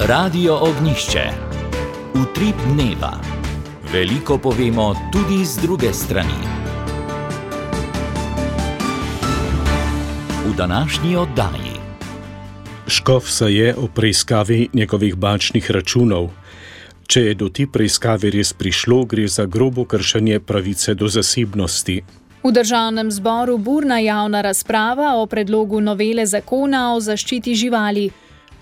Radio Ognjišče. Utrip dneva. Veliko povemo tudi z druge strani. V današnji oddaji. Škof se je o preiskavi njegovih bančnih računov. Če je do te preiskave res prišlo, gre za grobo kršenje pravice do zasebnosti. V državnem zboru burna javna razprava o predlogu novele zakona o zaščiti živali.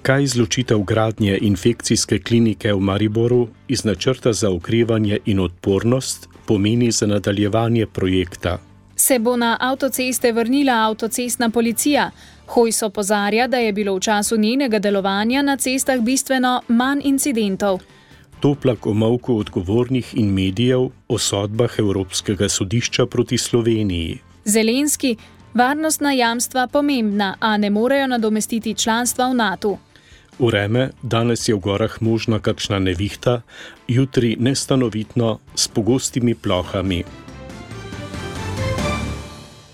Kaj izločitev gradnje infekcijske klinike v Mariboru iz načrta za okrevanje in odpornost pomeni za nadaljevanje projekta? Se bo na avtoceste vrnila avtocestna policija? Hojs opozarja, da je bilo v času njenega delovanja na cestah bistveno manj incidentov. Toplak o molku odgovornih in medijev o sodbah Evropskega sodišča proti Sloveniji. Zelenski, varnostna jamstva pomembna, a ne morejo nadomestiti članstva v NATO. Vreme, danes je v gorah možna kakšna nevihta, jutri nestanovitno s pogostimi plohami.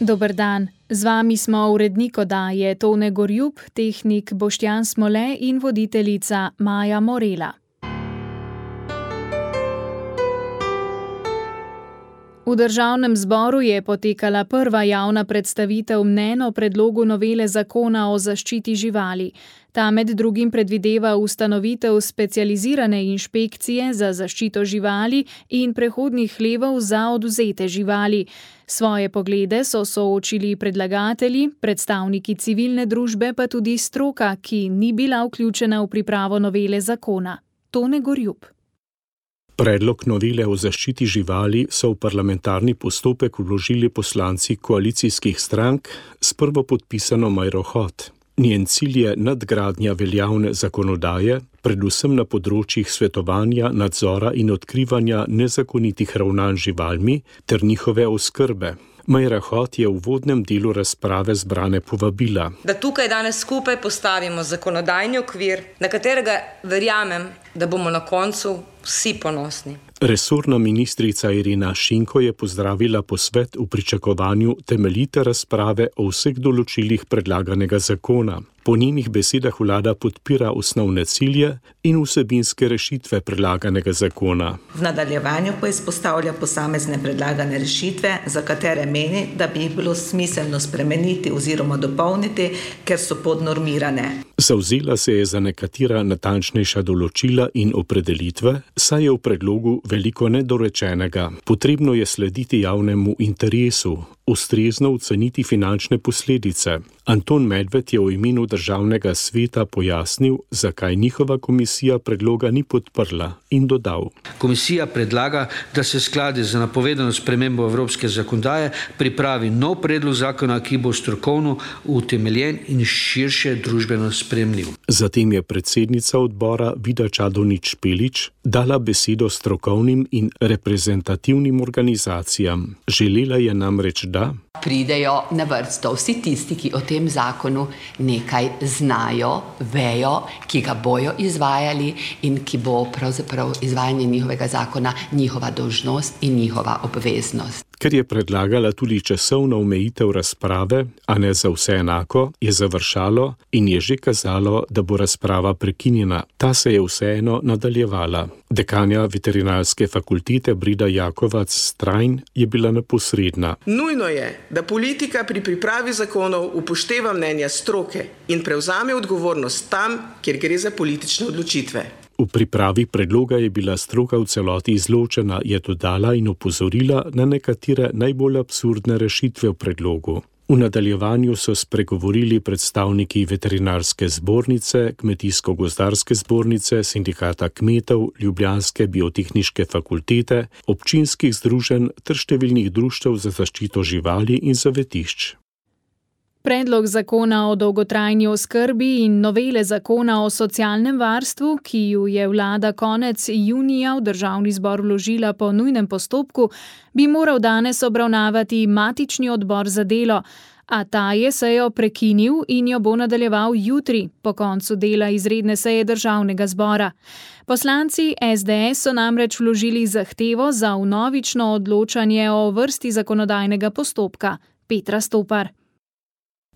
Dober dan, z vami smo urednik oddaje Tone Gorjup, tehnik Boštjan Smole in voditeljica Maja Morela. V državnem zboru je potekala prva javna predstavitev mnenj o predlogu novele zakona o zaščiti živali. Ta med drugim predvideva ustanovitev specializirane inšpekcije za zaščito živali in prehodnih hlevov za odvzete živali. Svoje poglede so soočili predlagatelji, predstavniki civilne družbe pa tudi stroka, ki ni bila vključena v pripravo novele zakona. Tone Gorjup. Predlog novele o zaščiti živali so v parlamentarni postopek vložili poslanci koalicijskih strank s prvopodpisano Majro Hot. Njen cilj je nadgradnja veljavne zakonodaje, predvsem na področjih svetovanja, nadzora in odkrivanja nezakonitih ravnanj živalmi ter njihove oskrbe. Majra Hot je v uvodnem delu razprave zbrane povabila, da tukaj danes skupaj postavimo zakonodajni okvir, na katerega verjamem, da bomo na koncu vsi ponosni. Resorna ministrica Irena Šinko je pozdravila posvet v pričakovanju temeljite razprave o vseh določilih predlaganega zakona. Po njenih besedah vlada podpira osnovne cilje in vsebinske rešitve predlaganega zakona. V nadaljevanju pa izpostavlja posamezne predlagane rešitve, za katere meni, da bi jih bilo smiselno spremeniti oziroma dopolniti, ker so podnormirane. Zavzela se je za nekatera natančnejša določila in opredelitve, saj je v predlogu veliko nedorečenega. Potrebno je slediti javnemu interesu, ustrezno oceniti finančne posledice. Anton Medved je v imenu državnega sveta pojasnil, zakaj njihova komisija predloga ni podprla in dodal. Komisija predlaga, da se skladi z napovedano spremembo evropske zakonodaje pripravi nov predlog zakona, ki bo strokovno utemeljen in širše družbeno sprejemljiv. Zatem je predsednica odbora Vida Čadonič Špelič dala besedo strokovnim in reprezentativnim organizacijam. Želela je namreč, da pridejo na vrsto vsi tisti, ki o tem zakonu nekaj znajo, vejo, ki ga bojo izvajali in ki bo pravzaprav izvajanje njihovega zakona njihova dolžnost in njihova obveznost. Ker je predlagala tudi časovno omejitev razprave, a ne za vse enako, je završalo in je že kazalo, da bo razprava prekinjena. Ta se je vseeno nadaljevala. Dekanja veterinarske fakultete Brida Jakovac-Strajn je bila neposredna. Nujno je, da politika pri pripravi zakonov upošteva mnenja stroke in prevzame odgovornost tam, kjer gre za politične odločitve. V pripravi predloga je bila stroka v celoti izločena, je dodala in opozorila na nekatere najbolj absurdne rešitve v predlogu. V nadaljevanju so spregovorili predstavniki veterinarske zbornice, kmetijsko-gozdarske zbornice, sindikata kmetov, ljubljanske biotehniške fakultete, občinskih združenj ter številnih društev za zaščito živali in zavetišč. Predlog zakona o dolgotrajni oskrbi in novele zakona o socialnem varstvu, ki ju je vlada konec junija v državni zbor vložila po nujnem postopku, bi moral danes obravnavati matični odbor za delo, a ta je sejo prekinil in jo bo nadaljeval jutri, po koncu dela izredne seje državnega zbora. Poslanci SDS so namreč vložili zahtevo za vnovično odločanje o vrsti zakonodajnega postopka. Petra Stopar.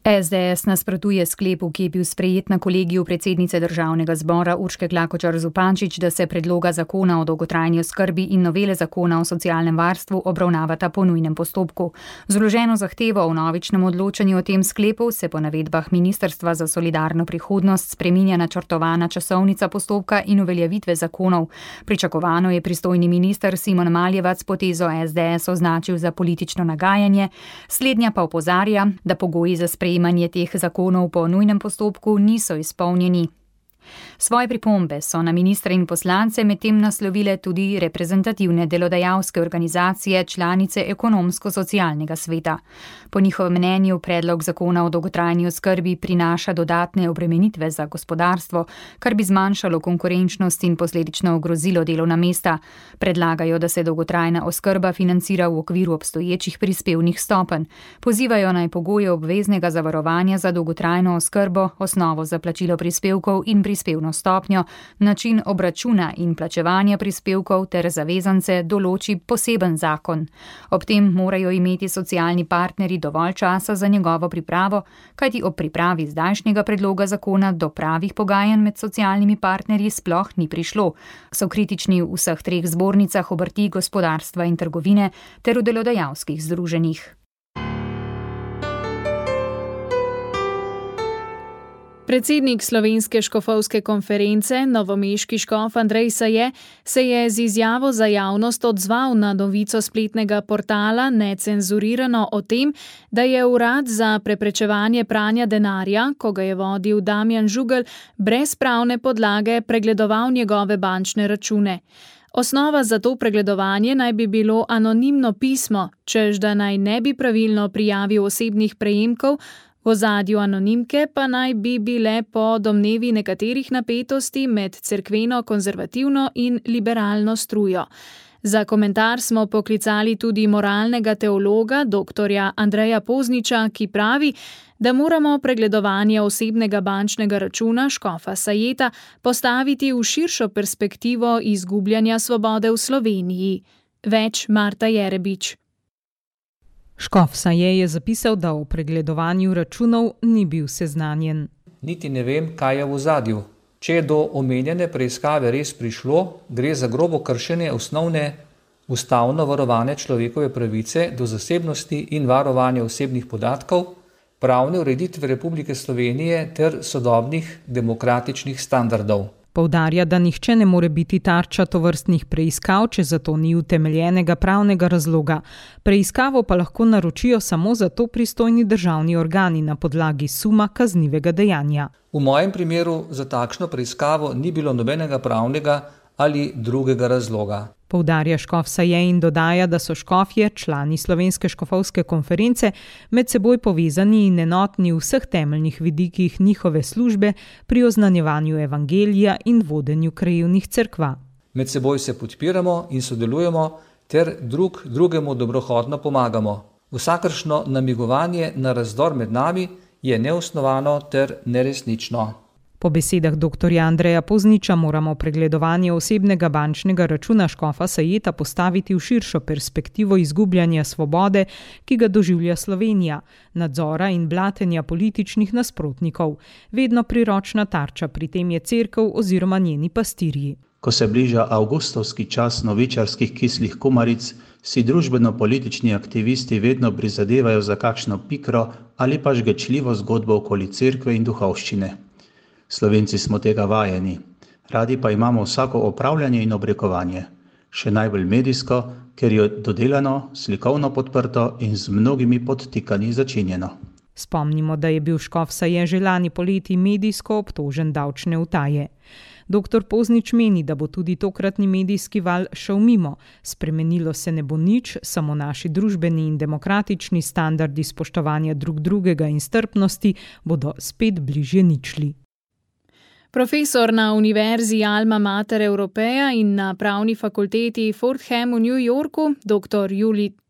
SDS nasprotuje sklepu, ki je bil sprejet na kolegiju predsednice Državnega zbora Urške Klakočar Zupančič, da se predloga zakona o dolgotrajni oskrbi in novele zakona o socialnem varstvu obravnavata po nujnem postopku. Z vloženo zahtevo o vnovičnem odločanju o tem sklepu se po navedbah Ministrstva za solidarno prihodnost spreminja načrtovana časovnica postopka in uveljavitve zakonov. Pričakovano je pristojni minister Simon Maljevac potezo SDS označil za politično nagajanje, slednja pa opozarja, da pogoji za sprejemanje teh zakonov po nujnem postopku niso izpolnjeni. Svoje pripombe so na ministre in poslance medtem naslovile tudi reprezentativne delodajalske organizacije, članice Ekonomsko-socialnega sveta. Po njihovem mnenju predlog zakona o dolgotrajni oskrbi prinaša dodatne obremenitve za gospodarstvo, kar bi zmanjšalo konkurenčnost in posledično ogrozilo delovna mesta. Predlagajo, da se dolgotrajna oskrba financira v okviru obstoječih prispevnih stopenj. Pozivajo naj pogoje obveznega zavarovanja za dolgotrajno oskrbo, osnovo za plačilo prispevkov in prispevno stopnjo, način obračuna in plačevanja prispevkov ter zavezance določi poseben zakon. Ob tem morajo imeti socialni partnerji dovolj časa za njegovo pripravo, kajti ob pripravi zdajšnjega predloga zakona do pravih pogajanj med socialnimi partnerji sploh ni prišlo. So kritični v vseh treh zbornicah obrti, gospodarstva in trgovine ter v delodajalskih združenjih. Predsednik Slovenske škofovske konference, novomeški škof Andrej Saje, se je z izjavo za javnost odzval na novico spletnega portala Necenzurirano o tem, da je Urad za preprečevanje pranja denarja, ko ga je vodil Damjan Žugelj, brez pravne podlage pregledoval njegove bančne račune. Osnova za to pregledovanje naj bi bilo anonimno pismo, čež da naj ne bi pravilno prijavil osebnih prejemkov, v ozadju anonimke pa naj bi bile po domnevi nekaterih napetosti med cerkveno, konzervativno in liberalno strujo. Za komentar smo poklicali tudi moralnega teologa, doktorja Andreja Pozniča, ki pravi, da moramo pregledovanje osebnega bančnega računa škofa Sajeta postaviti v širšo perspektivo izgubljanja svobode v Sloveniji. Več Marta Jerebič. Škof Saje je zapisal, da o pregledovanju računov ni bil seznanjen. Niti ne vem, kaj je v ozadju. Če je do omenjene preiskave res prišlo, gre za grobo kršenje osnovne ustavno varovane človekove pravice do zasebnosti in varovanja osebnih podatkov, pravne ureditve Republike Slovenije ter sodobnih demokratičnih standardov. Poudarja, da nihče ne more biti tarča tovrstnih preiskav, če za to ni utemeljenega pravnega razloga. Preiskavo pa lahko naročijo samo za to pristojni državni organi na podlagi suma kaznivega dejanja. V mojem primeru za takšno preiskavo ni bilo nobenega pravnega ali drugega razloga. Poudarja škof Saje in dodaja, da so škofje, člani Slovenske škofovske konference, med seboj povezani in enotni v vseh temeljnih vidikih njihove službe pri oznanjevanju evangelija in vodenju krajevnih cerkva. Med seboj se podpiramo in sodelujemo ter drug drugemu dobrohotno pomagamo. Vsakršno namigovanje na razdor med nami je neosnovano ter neresnično. Po besedah dr. Andreja Pozniča moramo pregledovanje osebnega bančnega računa škofa Sajeta postaviti v širšo perspektivo izgubljanja svobode, ki ga doživlja Slovenija, nadzora in blatenja političnih nasprotnikov. Vedno priročna tarča pri tem je cerkev oziroma njeni pastirji. Ko se bliža avgustovski čas novičarskih kislih kumaric, si družbeno-politični aktivisti vedno prizadevajo za kakšno pikro ali pa žgečljivo zgodbo okoli cerkve in duhovščine. Slovenci smo tega vajeni, radi pa imamo vsako opravljanje in obrekovanje, še najbolj medijsko, ker je dodelano, slikovno podprto in z mnogimi podtikanji začinjeno. Spomnimo, da je bil škof Saje že lani poleti medijsko obtožen davčne utaje. Dr. Poznič meni, da bo tudi tokratni medijski val šel mimo. Spremenilo se ne bo nič, samo naši družbeni in demokratični standardi spoštovanja drug drugega in strpnosti bodo spet bližje ničli. Profesor na Univerzi Alma Mater Europeja in na pravni fakulteti Fordham v New Yorku, dr.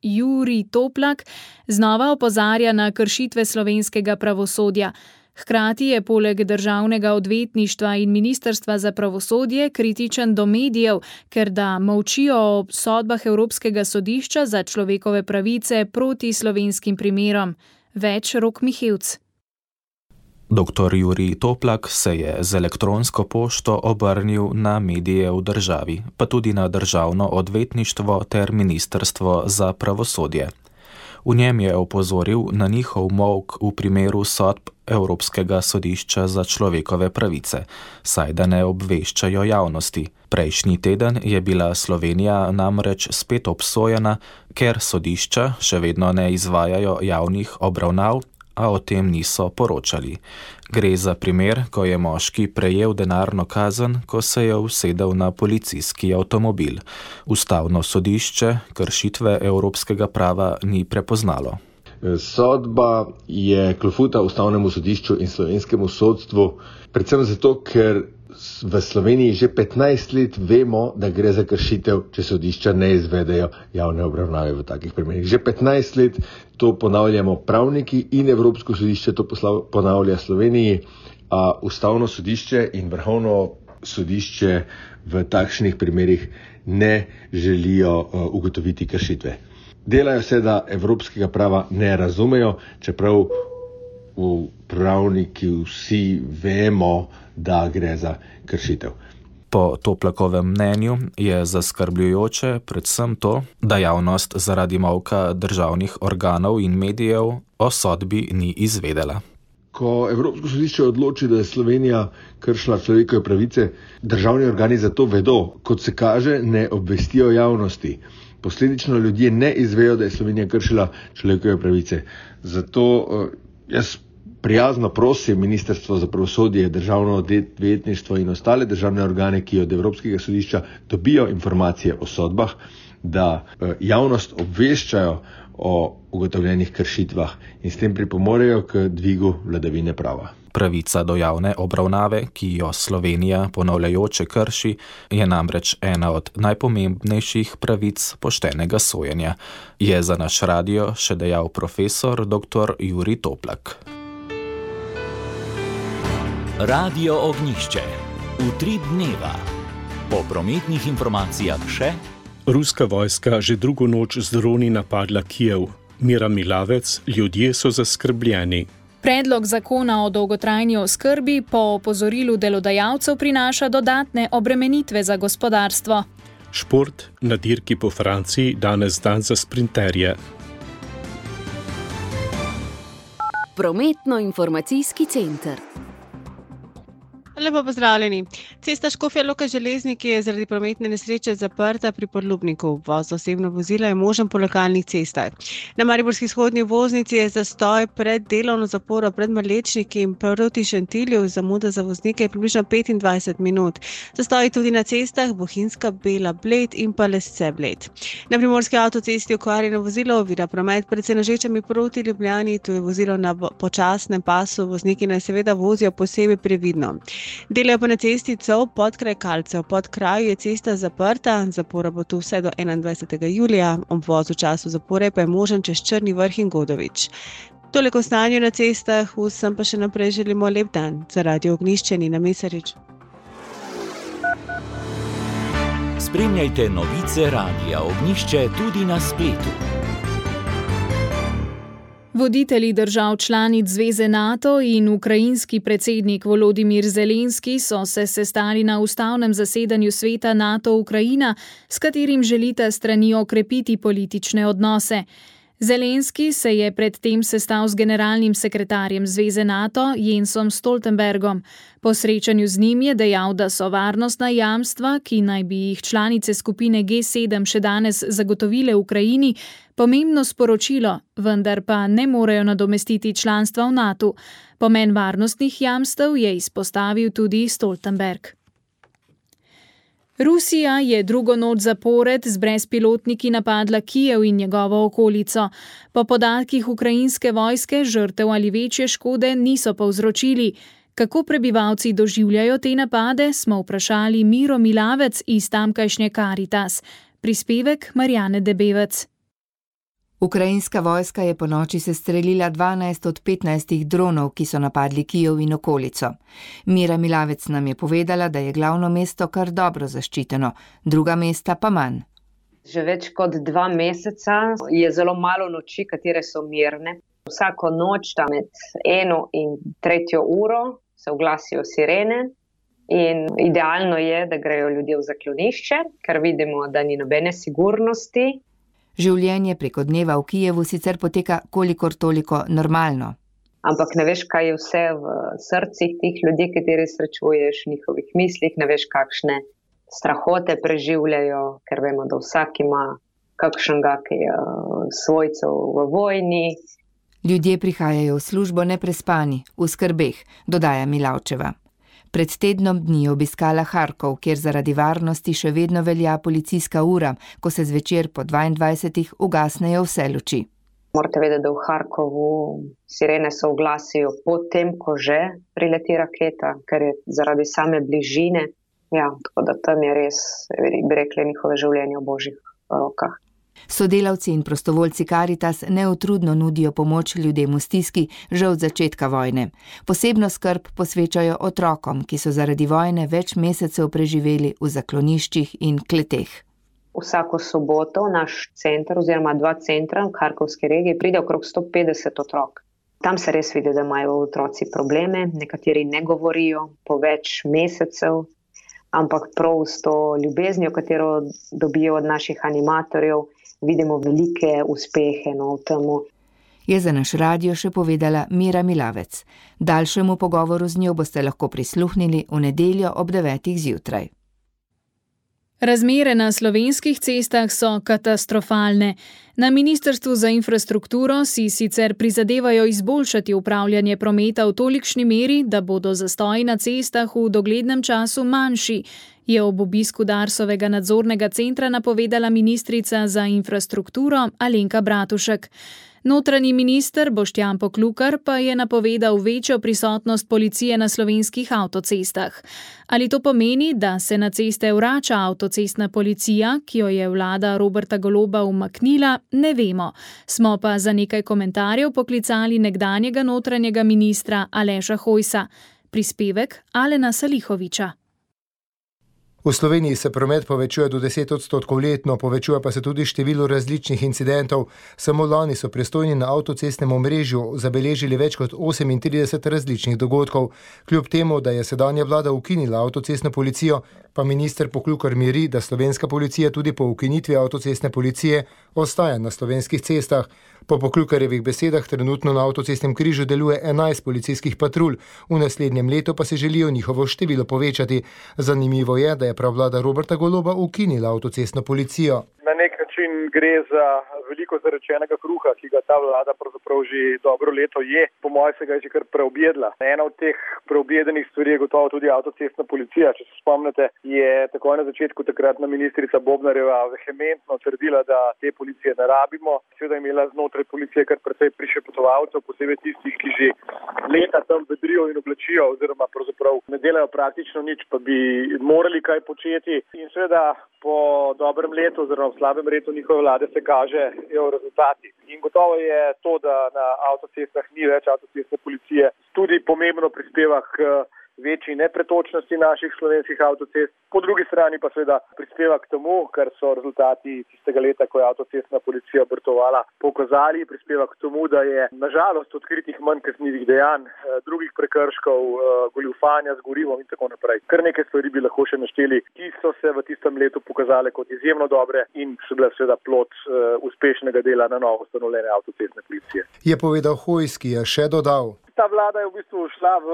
Jurij Toplak, znova opozarja na kršitve slovenskega pravosodja. Hkrati je poleg državnega odvetništva in ministrstva za pravosodje kritičen do medijev, ker da molčijo o sodbah Evropskega sodišča za človekove pravice proti slovenskim primerom. Več Rok Mihevc. Dr. Jurij Toplak se je z elektronsko pošto obrnil na medije v državi, pa tudi na državno odvetništvo ter ministrstvo za pravosodje. V njem je opozoril na njihov molk v primeru sodb Evropskega sodišča za človekove pravice, saj da ne obveščajo javnosti. Prejšnji teden je bila Slovenija namreč spet obsojena, ker sodišča še vedno ne izvajajo javnih obravnav, a o tem niso poročali. Gre za primer, ko je moški prejel denarno kazen, ko se je usedel na policijski avtomobil. Ustavno sodišče kršitve evropskega prava ni prepoznalo. Sodba je klofuta Ustavnemu sodišču in slovenskemu sodstvu, predvsem zato, ker v Sloveniji že 15 let vemo, da gre za kršitev, če sodišča ne izvedejo javne obravnave v takih primerih. Že 15 let to ponavljamo pravniki in Evropsko sodišče to ponavlja Sloveniji, a Ustavno sodišče in Vrhovno sodišče v takšnih primerih ne želijo ugotoviti kršitve. Delajo se, da evropskega prava ne razumejo, čeprav pravniki vsi vemo, da gre za kršitev. Po Toplakovem mnenju je zaskrbljujoče predvsem to, da javnost zaradi molka državnih organov in medijev o sodbi ni izvedela. Ko Evropsko sodišče odloči, da je Slovenija kršila človekove pravice, državni organi za to vedo, kot se kaže, ne obvestijo javnosti. Posledično ljudje ne izvejo, da je Slovenija kršila človekove pravice. Zato jaz prijazno prosim Ministrstvo za pravosodje, Državno odvetništvo in ostale državne organe, ki od Evropskega sodišča dobijo informacije o sodbah, da javnost obveščajo o ugotovljenih kršitvah in s tem pripomorejo k dvigu vladavine prava. Pravica do javne obravnave, ki jo Slovenija ponavljajoče krši, je namreč ena od najpomembnejših pravic poštenega sojenja, je za naš radio še dejal profesor dr. Jurij Toplak. Radio Ognjišče. Utrip dneva. Po prometnih informacijah še: Ruska vojska že drugo noč z droni napadla Kijev. Mira Milavec, ljudje so zaskrbljeni. Predlog zakona o dolgotrajni oskrbi po opozorilu delodajalcev prinaša dodatne obremenitve za gospodarstvo. Šport na dirki po Franciji danes dan za sprinterje. Prometno-informacijski center. Lepo pozdravljeni. Cesta Škofja Loka Železniki je zaradi prometne nesreče zaprta pri Podlubniku. Voz osebno vozila je možen po lokalnih cestah. Na mariborski vzhodni voznici je zastoj pred delovno zaporo pred Malečniki in proti Šentilju. Zamuda za voznike je približno 25 minut. Zastoji tudi na cestah Bohinjska Bela Bled in pa Lesce Bled. Na primorski avtocesti okvarjeno vozilo ovira promet pred Senožečami proti Ljubljani. Tu je vozilo na počasnem pasu. Vozniki naj seveda vozijo posebej previdno. Delajo pa na cesti Cov-Podkraj Kalcev. Pod kraju je cesta zaprta, zapora bo tu vse do 21. julija, obvoz v času zapore pa je možen čez Črni Vrh in Godovič. Toliko o stanju na cestah, vsem pa še naprej želimo lep dan. Za Radio Ognjišče Nina Mesarič. Spremljajte novice Radia Ognjišče tudi na spletu. Voditelji držav članic Zveze NATO in ukrajinski predsednik Volodimir Zelenski so se sestali na ustavnem zasedanju sveta NATO-Ukrajina, s katerim želita strani okrepiti politične odnose. Zelenski se je predtem sestal z generalnim sekretarjem Zveze NATO Jensom Stoltenbergom. Po srečanju z njim je dejal, da so varnostna jamstva, ki naj bi jih članice skupine G7 še danes zagotovile Ukrajini, pomembno sporočilo, vendar pa ne morejo nadomestiti članstva v NATO. Pomen varnostnih jamstev je izpostavil tudi Stoltenberg. Rusija je drugo noč zapored z brezpilotniki napadla Kijev in njegovo okolico. Po podatkih ukrajinske vojske žrtev ali večje škode niso povzročili. Kako prebivalci doživljajo te napade, smo vprašali Miro Milavec iz tamkajšnje Caritas. Prispevek Marjane Debevec. Ukrajinska vojska je ponoči sestrelila 12 od 15 dronov, ki so napadli Kijev in okolico. Mira Milavec nam je povedala, da je glavno mesto kar dobro zaščiteno, druga mesta pa manj. Že več kot 2 meseca je zelo malo noči, katere so mirne. Vsako noč, tam med 1 in 3 uro, se oglasijo sirene in idealno je, da grejo ljudje v zaklonišče, ker vidimo, da ni nobene sigurnosti. Življenje preko dneva v Kijevu sicer poteka kolikor toliko normalno. Ampak ne veš, kaj je vse v srcih teh ljudi, kateri srečuješ, v njihovih mislih, ne veš, kakšne strahote preživljajo, ker vemo, da vsak ima kakšnega svojcev v vojni. Ljudje prihajajo v službo neprespani, v skrbeh, dodaja Milavčeva. Pred tednom dni je obiskala Harkov, kjer zaradi varnosti še vedno velja policijska ura, ko se zvečer po 22 ugasnejo vse luči. Morate vedeti, da v Harkovu sirene se oglasijo potem, ko že prileti raketa, ker je zaradi same bližine. Ja, tako da tam je res, bi rekli, njihove življenje v božjih rokah. Sodelavci in prostovoljci Karitas neutrudno nudijo pomoč ljudem v stiski že od začetka vojne. Posebno skrb posvečajo otrokom, ki so zaradi vojne več mesecev preživeli v zakloniščih in kleteh. Vsako soboto naš center oziroma 2 centra v Harkovski regiji pride okrog 150 otrok. Tam se res vidi, da imajo otroci probleme, nekateri ne govorijo po več mesecev, ampak prav s to ljubeznijo, katero dobijo od naših animatorjev, vidimo velike uspehe v temu. Je za naš radio še povedala Mira Milavec. Daljšemu pogovoru z njo boste lahko prisluhnili v nedeljo ob 9 zjutraj. Razmere na slovenskih cestah so katastrofalne. Na Ministrstvu za infrastrukturo si sicer prizadevajo izboljšati upravljanje prometa v tolikšni meri, da bodo zastoji na cestah v doglednem času manjši, je ob obisku Darsovega nadzornega centra napovedala ministrica za infrastrukturo Alenka Bratušek. Notranji minister Boštjan Poklukar pa je napovedal večjo prisotnost policije na slovenskih avtocestah. Ali to pomeni, da se na ceste vrača avtocestna policija, ki jo je vlada Roberta Goloba umaknila, ne vemo. Smo pa za nekaj komentarjev poklicali nekdanjega notranjega ministra Aleša Hojsa. Prispevek Alena Salihoviča. V Sloveniji se promet povečuje do 10% letno, povečuje pa se tudi število različnih incidentov. Samo lani so pristojni na avtocestnem omrežju zabeležili več kot 38 različnih dogodkov. Kljub temu, da je sedanja vlada ukinila avtocestno policijo, pa minister Poklukar miri, da slovenska policija tudi po ukinitvi avtocestne policije ostaja na slovenskih cestah. Po Poklukarjevih besedah trenutno na avtocestnem križu deluje 11 policijskih patrulj, v naslednjem letu pa se želijo njihovo število povečati. Zanimivo je, da je prav vlada Roberta Goloba ukinila avtocestno policijo. Na nek način gre za veliko zarečenega kruha, ki ga ta vlada pravzaprav že dobro leto je. Po mojem se ga je že kar preobjedla. Ena od teh preobjedenih stvari je gotovo tudi avtocestna policija. Če se spomnite, je takoj na začetku takratna ministrica Bobnarjeva vehementno trdila, da te policije ne rabimo. Seveda je imela znotraj policije kar precej prišepotovalcev, posebej tistih, ki že leta tam vedrijo in oblačijo oziroma pravzaprav ne delajo praktično nič, pa bi morali kaj početi. In seveda po dobrem letu oziroma v slabem letu njihove vlade se kažejo rezultati. In gotovo je to, da na avtocestah ni več avtocestne policije, tudi pomembno prispeva k večji nepretočnosti naših slovenskih avtocest. Po drugi strani pa seveda prispeva k temu, kar so rezultati tistega leta, ko je avtocestna policija obratovala, pokazali, prispeva k temu, da je nažalost odkritih manj kaznivih dejanj, drugih prekrškov, goljufanja z gorivom in tako naprej. Kar nekaj stvari bi lahko še našteli, ki so se v tistem letu pokazale kot izjemno dobre in so bile seveda plod uspešnega dela na novo ustanovljene avtocestne policije. Je povedal Hojs, ki je še dodal. Ta vlada je v bistvu šla v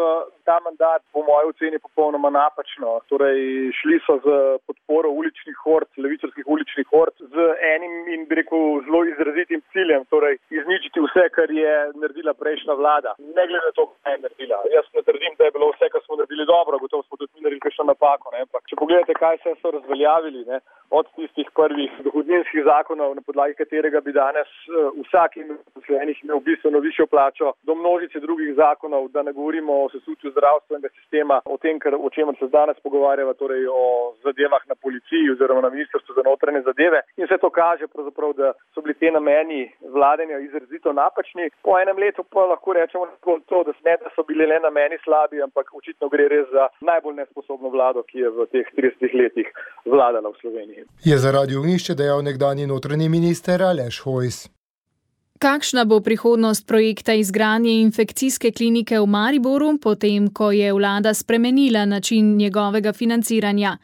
ta mandat po moji oceni popolnoma napačno. Torej, šli so z podporo uličnih hord, levičarskih uličnih hord, z enim in bi rekel zelo izrazitim ciljem, torej izničiti vse, kar je naredila prejšnja vlada. Ne glede na to, kaj je naredila. Jaz ne trdim, da je bilo vse, kar smo naredili dobro, gotovo smo tudi naredili kakšno napako. Ampak če pogledate, kaj se so razveljavili, od tistih prvih dohodninskih zakonov, na podlagi katerega bi danes vsak imel bistveno višjo plačo, do množice drugih zakonov, da ne govorimo o sesutju zdravstvenega sistema, o tem, o čemer se danes pogovarjava, torej o zadevah na policiji oziroma na Ministrstvu za notranje zadeve. In vse to kaže pravzaprav, da so bili te nameni vladanja izrazito napačni. Po enem letu pa lahko rečemo to, da so bili le nameni slabi, ampak očitno gre res za najbolj nesposobno vlado, ki je v teh 30 letih vladala v Sloveniji. Je za Radio Ognišče dejal nekdanji notranji minister Aleš Hojs. Kakšna bo prihodnost projekta izgradnje infekcijske klinike v Mariboru, potem ko je vlada spremenila način njegovega financiranja?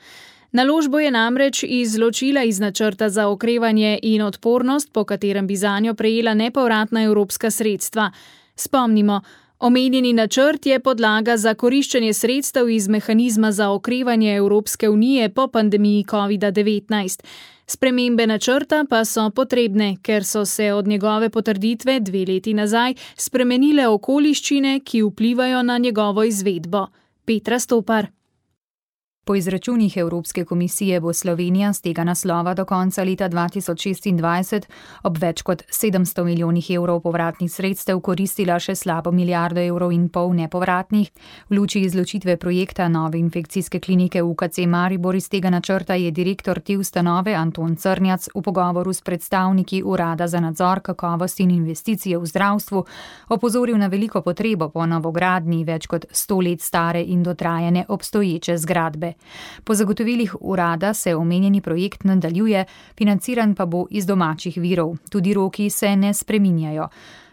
Naložbo je namreč izločila iz načrta za okrevanje in odpornost, po katerem bi zanjo prejela nepovratna evropska sredstva. Spomnimo, omenjeni načrt je podlaga za koriščenje sredstev iz mehanizma za okrevanje Evropske unije po pandemiji COVID-19. Spremembe načrta pa so potrebne, ker so se od njegove potrditve 2 leti nazaj spremenile okoliščine, ki vplivajo na njegovo izvedbo. Petra Stopar. Po izračunih Evropske komisije bo Slovenija z tega naslova do konca leta 2026 ob več kot 700 milijonih evrov povratnih sredstev koristila še slabo 1,5 milijarde evrov nepovratnih. V luči izločitve projekta nove infekcijske klinike UKC Maribor iz tega načrta je direktor te ustanove Anton Crnjac v pogovoru s predstavniki Urada za nadzor kakovosti in investicije v zdravstvu opozoril na veliko potrebo po novogradnji več kot 100 let stare in dotrajane obstoječe zgradbe. Po zagotovilih urada se omenjeni projekt nadaljuje, financiran pa bo iz domačih virov. Tudi roki se ne spreminjajo.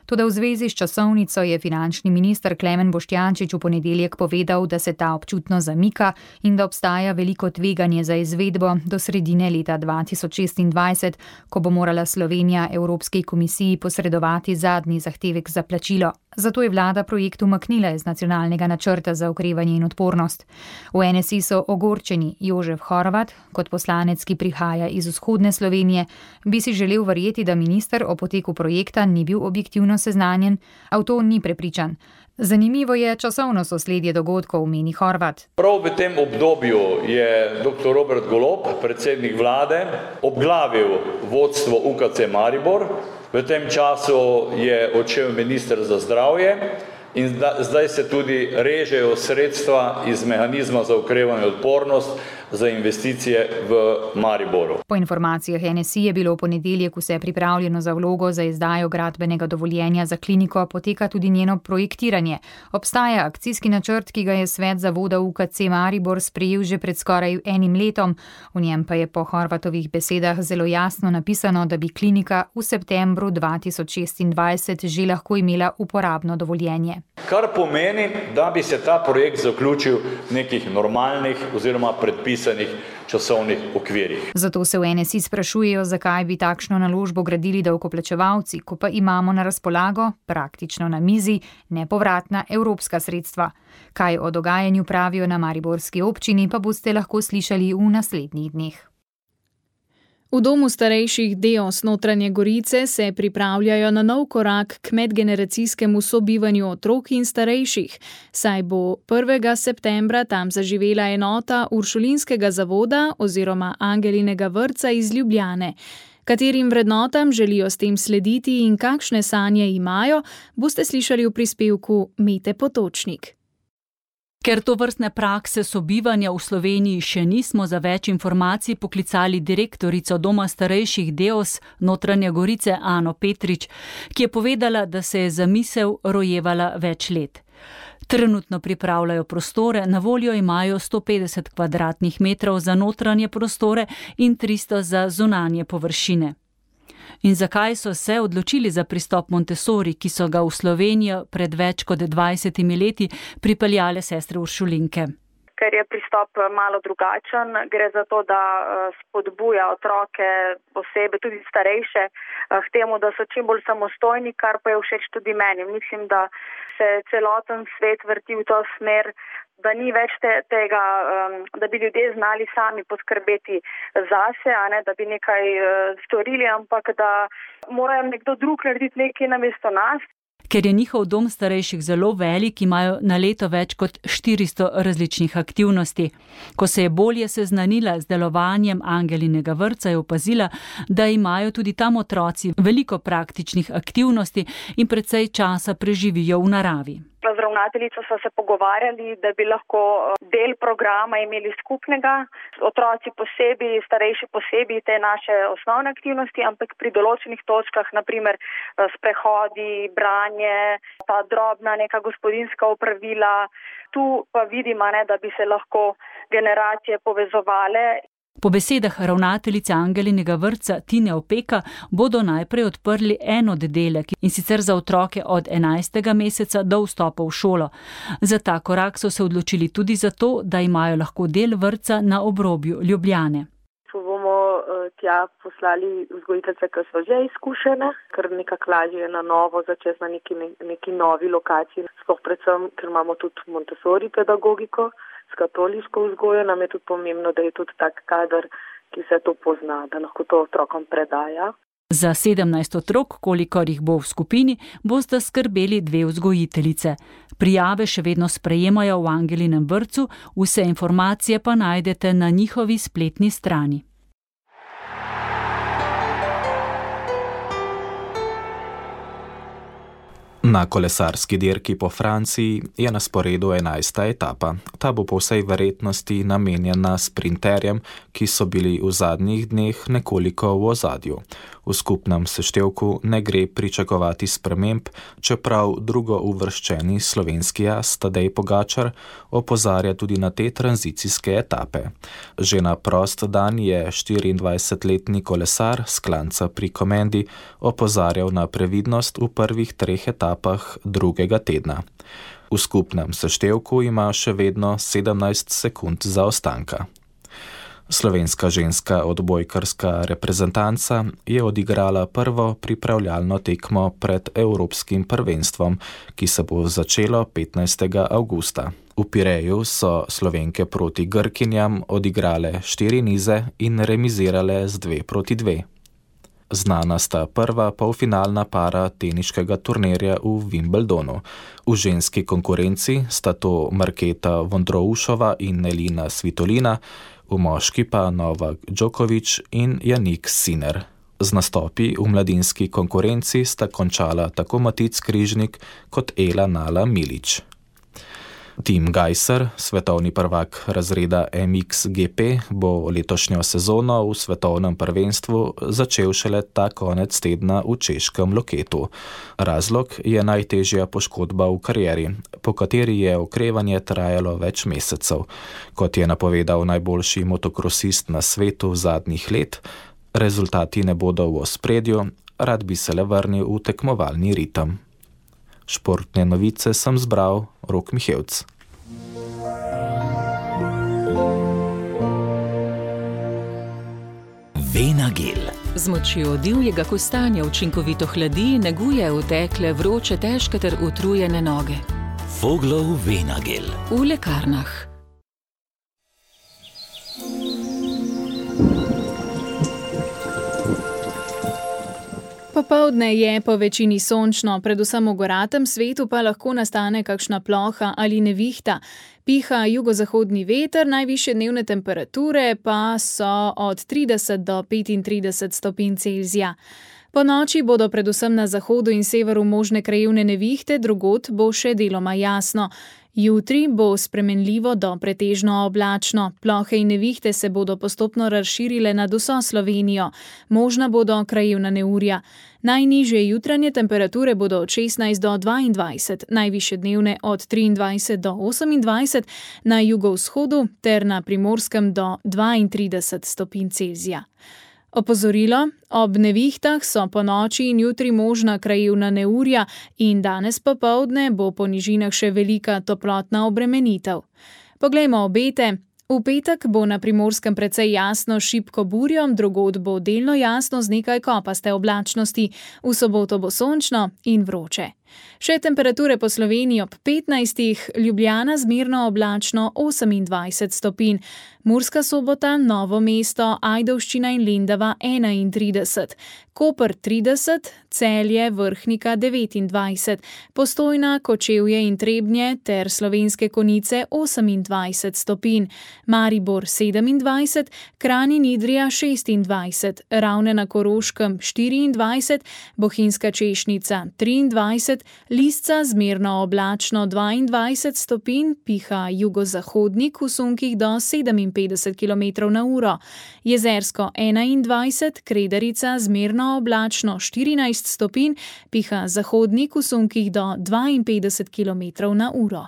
Toda v zvezi s časovnico je finančni minister Klemen Boštjančič v ponedeljek povedal, da se ta občutno zamika in da obstaja veliko tveganje za izvedbo do sredine leta 2026, ko bo morala Slovenija Evropski komisiji posredovati zadnji zahtevek za plačilo. Zato je vlada projekt umaknila iz nacionalnega načrta za okrevanje in odpornost. V NSI so ogorčeni. Jožef Horvat, kot poslanec, ki prihaja iz vzhodne Slovenije, bi si želel verjeti, da minister o poteku projekta ni bil objektivno seznanjen, a v to ni prepričan. Zanimivo je časovno sosledje dogodkov, meni Horvat. Prav v tem obdobju je dr. Robert Golob, predsednik vlade, obglavil vodstvo UKC Maribor. V tem času je odšel minister za zdravje in zdaj se tudi režejo sredstva iz mehanizma za okrevanje in odpornost za investicije v Mariboru. Po informacijah NSI je bilo v ponedeljek vse pripravljeno za vlogo za izdajo gradbenega dovoljenja za kliniko, poteka tudi njeno projektiranje. Obstaja akcijski načrt, ki ga je svet zavoda UKC Maribor sprejel že pred skoraj 1 letom. V njem pa je po Horvatovih besedah zelo jasno napisano, da bi klinika v septembru 2026 že lahko imela uporabno dovoljenje. Kar pomeni, da bi se ta projekt zaključil v nekih normalnih oziroma predpisanih časovnih okvirih. Zato se v NSI sprašujejo, zakaj bi takšno naložbo gradili davkoplačevalci, ko pa imamo na razpolago, praktično na mizi, nepovratna evropska sredstva. Kaj o dogajanju pravijo na mariborski občini, pa boste lahko slišali v naslednjih dneh. V domu starejših Deos Notranje Gorice se pripravljajo na nov korak k medgeneracijskemu sobivanju otrok in starejših, saj bo 1. septembra tam zaživela enota Uršulinskega zavoda oziroma Angelinega vrtca iz Ljubljane. Katerim vrednotam želijo s tem slediti in kakšne sanje imajo, boste slišali v prispevku Mete Potočnik. Ker to vrstne prakse sobivanja v Sloveniji še nismo, za več informacij poklicali direktorico Doma starejših Deos Notranje Gorice Ano Petrič, ki je povedala, da se je zamisel rojevala več let. Trenutno pripravljajo prostore, na voljo imajo 150 kvadratnih metrov za notranje prostore in 300 za zunanje površine. In zakaj so se odločili za pristop Montessori, ki so ga v Slovenijo pred več kot 20 leti pripeljale sestre Uršulinke? Ker je pristop malo drugačen, gre za to, da spodbuja otroke, osebe, tudi starejše, k temu, da so čim bolj samostojni, kar pa je všeč tudi meni. Mislim, da se celoten svet vrti v to smer, da ni več tega, da bi ljudje znali sami poskrbeti zase, da bi nekaj storili, ampak da morajo nekdo drug narediti nekaj namesto nas. Ker je njihov dom starejših zelo velik, imajo na leto več kot 400 različnih aktivnosti. Ko se je bolje seznanila z delovanjem Angelinega vrtca, je opazila, da imajo tudi tam otroci veliko praktičnih aktivnosti in precej časa preživijo v naravi. Z ravnateljico so se pogovarjali, da bi lahko del programa imeli skupnega, otroci posebej, starejši posebej te naše osnovne aktivnosti, ampak pri določenih točkah, naprimer sprehodi, branje, ta drobna neka gospodinjska opravila, tu pa vidimo, da bi se lahko generacije povezovale. Po besedah ravnateljice Angelinega vrtca Tine Opeka bodo najprej odprli en oddelek, in sicer za otroke od 11. meseca do vstopa v šolo. Za ta korak so se odločili tudi zato, da imajo lahko del vrtca na obrobju Ljubljane. Bomo tja poslali vzgojiteljice, ki so že izkušene, ker nekako lažje je na novo začeti na neki novi lokaciji. Sploh predvsem, ker imamo tudi Montessori pedagogiko s katoliško vzgojo, nam je tudi pomembno, da je tudi tak kader, ki se to pozna, da lahko to otrokom predaja. Za 17 otrok, kolikor jih bo v skupini, bosta skrbeli 2 vzgojiteljice. Prijave še vedno sprejemajo v Angelinem vrtcu, vse informacije pa najdete na njihovi spletni strani. Na kolesarski dirki po Franciji je na sporedu 11. etapa. Ta bo po vsej verjetnosti namenjena sprinterjem, ki so bili v zadnjih dneh nekoliko v ozadju. V skupnem seštevku ne gre pričakovati sprememb, čeprav drugouvrščeni slovenski as Tadej Pogačar opozarja tudi na te tranzicijske etape. Že na prost dan je 24-letni kolesar s Klanca pri Komendi opozarjal na previdnost v prvih 3 etapah drugega tedna. V skupnem seštevku ima še vedno 17 sekund zaostanka. Slovenska ženska odbojkarska reprezentanca je odigrala prvo pripravljalno tekmo pred Evropskim prvenstvom, ki se bo začelo 15. avgusta. V Pireju so Slovenke proti Grkinjam odigrale 4 nize in remizirale z 2-2. Znana sta prva polfinalna para teniškega turnirja v Wimbledonu. V ženski konkurenci sta to Marketa Vondroušova in Elina Svitolina, v moški pa Novak Djokovic in Jannik Sinner. Z nastopi v mladinski konkurenci sta končala tako Matic Križnik kot Ela Nala Milić. Tim Gajser, svetovni prvak razreda MXGP, bo letošnjo sezono v svetovnem prvenstvu začel šele ta konec tedna v češkem Loketu. Razlog je najtežja poškodba v karieri, po kateri je okrevanje trajalo več mesecev. Kot je napovedal najboljši motokrosist na svetu zadnjih let, rezultati ne bodo v ospredju, rad bi se le vrnil v tekmovalni ritem. Športne novice sem zbral Rok Mihevc. Venagel. Z močjo divjega kostanja učinkovito hladi, neguje utekle, vroče, težke ter utrujene noge. Voglov Venagel. V lekarnah. Popoldne je po večini sončno, predvsem v goratem svetu pa lahko nastane kakšna ploha ali nevihta. Piha jugozahodni veter, najvišje dnevne temperature pa so od 30 do 35 stopinj Celzija. Po noči bodo predvsem na zahodu in severu možne krajevne nevihte, drugod bo še deloma jasno. Jutri bo spremenljivo do pretežno oblačno. Plohe in nevihte se bodo postopno razširile nad vso Slovenijo. Možna bodo krajevna neurja. Najnižje jutranje temperature bodo od 16 do 22, najvišje dnevne od 23 do 28, na jugovzhodu ter na Primorskem do 32 stopinj Celzija. Opozorilo, ob nevihtah so po noči in jutri možna krajevna neurja in danes popoldne bo po nižinah še velika toplotna obremenitev. Poglejmo obete. V petek bo na Primorskem precej jasno s šibko burjo, drugod bo delno jasno z nekaj kopaste oblačnosti, v soboto bo sončno in vroče. Še temperature po Sloveniji ob 15, Ljubljana zmerno oblačno 28 stopinj, Murska Sobota, Novo mesto, Ajdovščina in Lendava 31, Koper 30, Celje, Vrhnika 29, Postojna, Kočevje in Trebnje ter Slovenske Konjice 28 stopinj, Maribor 27, Kranj in Idrija 26, Ravne na Koroškem 24, Bohinjska Češnica 23, Lisca zmerno oblačno 22 stopinj, piha jugozahodnik v sunkih do 57 km/h, Jezersko 21, Kredarica zmerno oblačno 14 stopinj, piha zahodnik v sunkih do 52 km/h.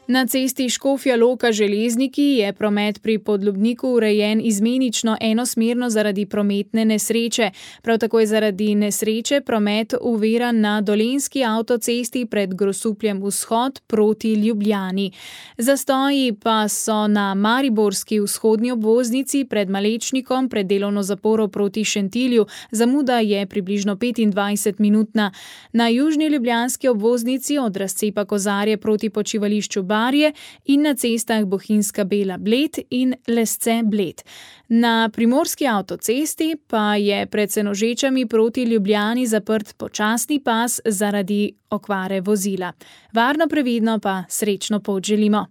Na cesti Škofja Loka Železniki je promet pri Podlubniku urejen izmenično enosmerno zaradi prometne nesreče. Prav tako je zaradi nesreče promet uviran na Dolenjski avtocesti pred Grosupljem vzhod proti Ljubljani. Zastoji pa so na mariborski vzhodni obvoznici pred Malečnikom pred delovno zaporo proti Šentilju. Zamuda je približno 25-minutna. Na južni ljubljanski obvoznici od razcepa Kozarje proti počivališču Barje in na cestah Bohinjska Bela Bled in Lesce Bled. Na primorski avtocesti pa je pred Senožečami proti Ljubljani zaprt počasni pas zaradi okvare vozila. Varno, previdno pa srečno pot želimo.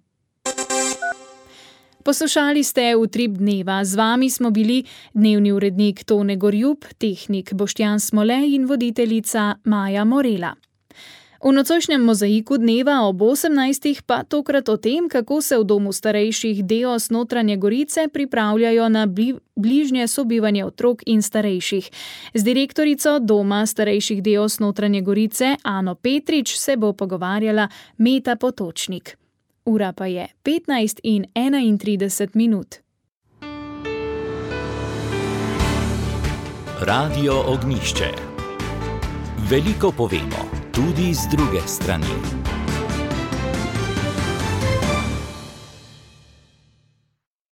Poslušali ste Utrip dneva. Z vami smo bili dnevni urednik Tone Gorjup, tehnik Boštjan Smole in voditeljica Maja Morela. V nocojšnjem mozaiku dneva ob 18. pa tokrat o tem, kako se v domu starejših Deos Notranje Gorice pripravljajo na bližnje sobivanje otrok in starejših. Z direktorico doma starejših Deos Notranje Gorice Ano Petrič se bo pogovarjala Meta Potočnik. Ura pa je 15:31. Radio Ognjišče. Veliko povemo, tudi z druge strani.